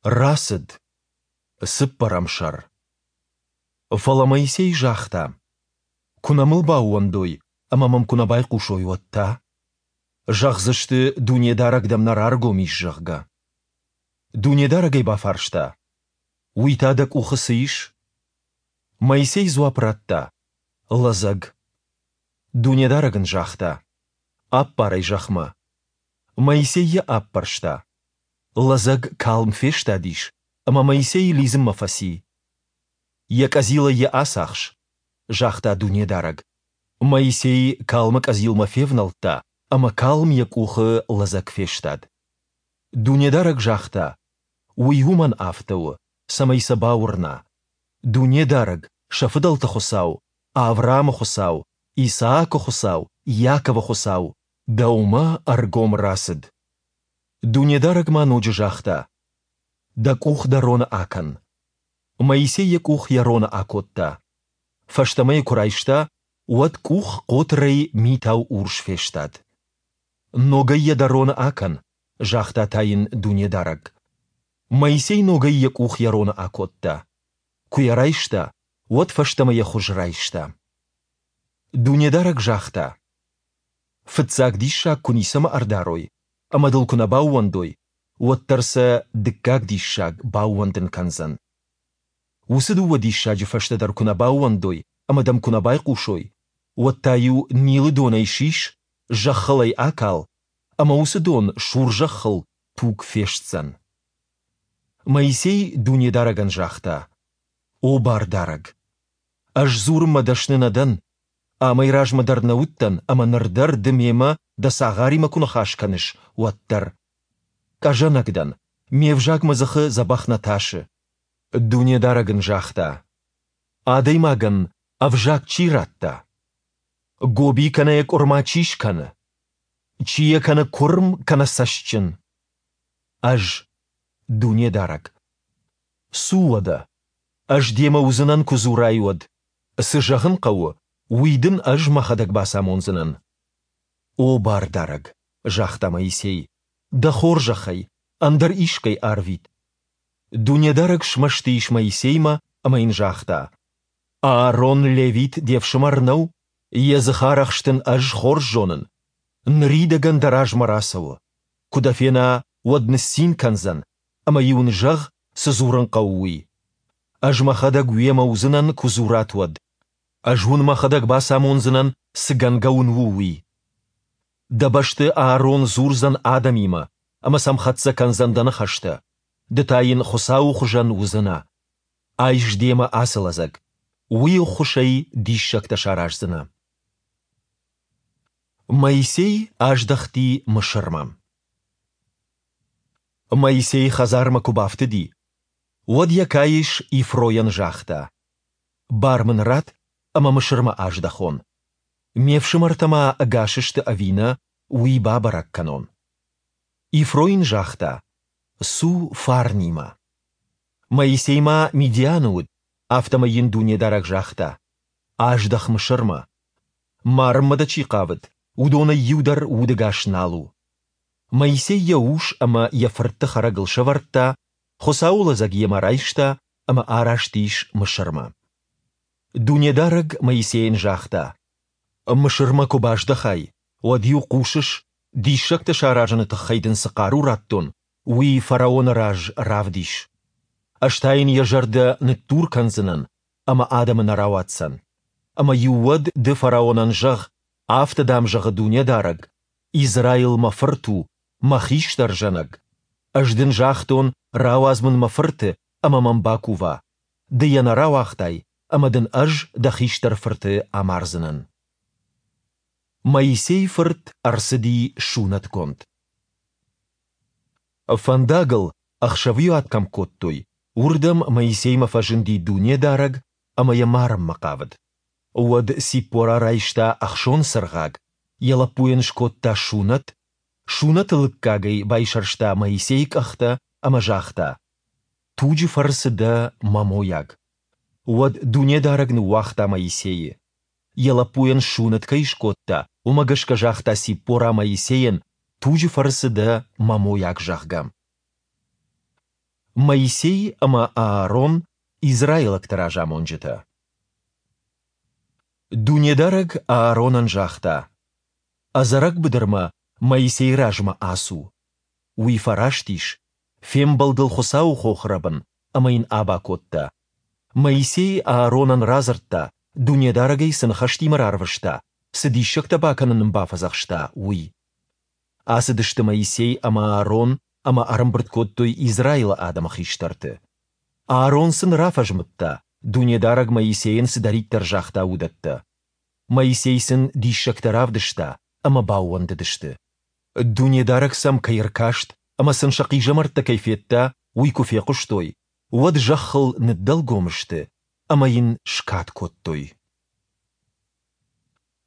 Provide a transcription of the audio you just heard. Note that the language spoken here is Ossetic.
Рацыд. Цыппӕрӕм сӕр. Фӕлӕ Моисей загъта, Куы нӕ мыл баууӕндой ӕмӕ мӕм куы нӕ байхъусой, уӕд та? Зӕгъдзысты, Дунедарӕг дӕм нӕ раргом ис, зӕгъгӕ. Дунедарӕг ӕй бафарста, Уый та дӕ къухы цы ис? Моисей дзуапп радта, Лӕдзӕг. Дунедарӕг ын загъта, Аппар ӕй зӕхмӕ. Моисей йӕ аппӕрста. Лӕдзӕг калм фестадис, ӕмӕ Моисей лидзынмӕ фӕци. Йӕ къӕдзилӕй йӕ ацахс, загъта Дунедарӕг. Моисей калмы къӕдзилмӕ февнӕлдта, ӕмӕ калм йӕ къухы лӕдзӕг фестад. Дунедарӕг загъта, Уый уымӕн афтӕ у, цӕмӕй сӕ бауырна, Дунедарӕг, сӕ фыдӕлты Хуыцау, Авраамы Хуыцау, Исаакы Хуыцау, Иаковы Хуыцау, дӕумӕ ӕргом рацыд. Дунедарӕг ма ноджы загъта, Дӕ къух дӕ роны акӕн. Моисей йӕ къух йӕ роны акодта. Фӕстӕмӕ йӕ куы райста, уӕд къух хъотырӕй митау урс фестад. Ногӕй йӕ дӕ роны акӕн, загъта та йын Дунедарӕг. Моисей ногӕй йӕ къух йӕ роны акодта. Куы йӕ райста, уӕд фӕстӕмӕ йӕ хуыз райста. Дунедарӕг загъта, Фыццаг диссаг куы ницӕмӕ ӕрдарой ӕмӕ дыл куы нӕ баууӕндой, уӕддӕр сӕ дыккаг диссаг баууӕндын кӕндзӕн. Уыцы дыууӕ диссаджы фӕстӕ дӕр куы нӕ баууӕндой ӕмӕ дӕм куы нӕ байхъусой, уӕд та-иу Нилы донӕй сис, зӕххыл ӕй акал, ӕмӕ уыцы дон сур зӕххыл туг фестдзӕн. Моисей Дунедарӕгӕн загъта: О Бардарӕг! Ӕз дзурынмӕ дӕсны нӕ дӕн, Амӕй размӕ дӕр нӕ уыдтӕн ӕмӕ ныр дӕр ды мемӕ дӕ цагъаримӕ куы ныхас кӕныс, уӕд дӕр. Къӕзӕнӕг дӕн, ме взаг мӕ дзыхы дзӕбӕх нӕ тасы. Дунедарӕг ын загъта: Адӕймагӕн ӕвзаг чи радта? Гоби кӕнӕ йӕ къуырма чи скӕны? Чи йӕ кӕны куырм кӕнӕ цӕстджын? Ӕз, Дунедарӕг. Цу уӕдӕ, ӕз демӕ уыдзынӕн, куы дзурай, уӕд. Цы зӕгъын хъӕуы, уый дын ӕз мӕхӕдӕг бацамондзынӕн. О Бардарӕг, загъта Моисей, дӕ хорзӕхӕй, ӕндӕр искӕй арвит. Дунедарӕг смӕсты ис Моисеймӕ ӕмӕ йын загъта: Аарон левит де фсымӕр нӕу? Йӕ дзыхарӕхст ын ӕз хорз зонын. Ныридӕгӕн дӕ размӕ рацӕуы. Куы дӕ фена, уӕд ныццин кӕндзӕн, ӕмӕ-иу ын зӕгъ, цы дзурын хъӕуы, уый. Ӕз мӕхӕдӕг уемӕ уыдзынӕн, куы дзурат, уӕд. Ӕз уын мӕхӕдӕг бацамондзынӕн, цы гӕнгӕ уын у, уый. Дӕ бӕсты Аарон дзурдзӕн адӕмимӕ ӕмӕ сӕм хӕццӕ кӕндзӕн дӕ ныхӕстӕ. Ды та йын Хуыцауы хуызӕн уыдзынӕ. Айс демӕ ацы лӕдзӕг. Уый ӕххуысӕй диссӕгтӕ сараздзынӕ. Моисей аздӕхти Мысырмӕ. Моисей хӕдзармӕ куы бафтыди, уӕд йӕ каис Ифройӕн загъта: «Бар мын ратт, ӕмӕ Мысырмӕ аздӕхон. Ме фсымӕртӕ ма ӕгас сты ӕви нӕ, уый бабӕрӕг кӕнон». Ифро йын загъта: «Цу фарнимӕ». Моисей ма Мидианы уыд, афтӕмӕй йын Дунедарӕг загъта: «Аздӕх Мысырмӕ. Марынмӕ дӕ чи хъавыд, уыдонӕй иу дӕр удӕгас нал у». Моисей йӕ ус ӕмӕ йӕ фыртты хӕрӕгыл сӕвӕрдта, Хуыцауы лӕдзӕг йемӕ райста ӕмӕ араст ис Мысырмӕ. Дунедарӕг Моисейӕн загъта: Мысырмӕ куы баздӕхай, уӕд-иу хъусыс, диссӕгтӕ саразыны тыххӕй дын цы хъару радтон, уый фараоны раз равдис. Ӕз та йын йӕ зӕрдӕ ныддур кӕндзынӕн, ӕмӕ адӕмы нӕ рауадздзӕн. Ӕмӕ-иу уӕд ды фараонӕн зӕгъ, афтӕ дӕм зӕгъы Дунедарӕг, Израил мӕ фырт у, мӕ хистӕр зӕнӕг. Ӕз дын загътон, рауадз мын мӕ фырты ӕмӕ мӕм бакува. Ды йӕ нӕ рауагътай, ӕмӕ дын ӕз дӕ хистӕр фырты амардзынӕн. Моисейы фырт ӕрцыди сунӕтгонд. Фӕндагыл, ӕхсӕвиуат кӕм кодтой, уырдӕм Моисеймӕ фӕзынди Дунедарӕг ӕмӕ йӕ марынмӕ хъавыд. Уӕд Циппора райста ӕхсон цыргъаг, йӕ лӕппуйӕн скодта сунӕт, сунӕты лыггагӕй байсӕрста Моисейы къӕхтӕ ӕмӕ загъта: Туджы фӕрцы дӕ мӕ мойаг. Уӕд Дунедарӕг ныууагъта Моисейы. Йӕ лӕппуйӕн сунӕт кӕй скодта, уымӕ гӕсгӕ загъта Циппора Моисейӕн, туджы фӕрцы дӕ мӕ мойаг, зӕгъгӕ. Моисей ӕмӕ Аарон, израилӕгты разамонджытӕ. Дунедарӕг Ааронӕн загъта, Ӕдзӕрӕг быдырмӕ Моисейы размӕ ацу. Уый фӕраст ис, фембӕлд ыл Хуыцауы хохрӕбын ӕмӕ йын аба кодта. Моисей Ааронӕн радзырдта, Дунедарӕг ӕй цы ныхӕстимӕ рарвыста, цы диссӕгтӕ бакӕнын ын бафӕдзӕхста, уый. Ацыдысты Моисей ӕмӕ Аарон ӕмӕ ӕрӕмбырд кодтой Израилы адӕмы хистӕрты. Аарон сын рафӕзмыдта, Дунедарӕг Моисейӕн цыдӕриддӕр загъта, уыдӕттӕ. Моисей сын диссӕгтӕ равдыста, ӕмӕ баууӕндыдысты. Дунедарӕг сӕм кӕй ӕркаст ӕмӕ сын сӕ хъизӕмӕрттӕ кӕй федта, уый куы фехъуыстой, уӕд зӕххыл ныддӕлгом сты ӕмӕ йын скад кодтой.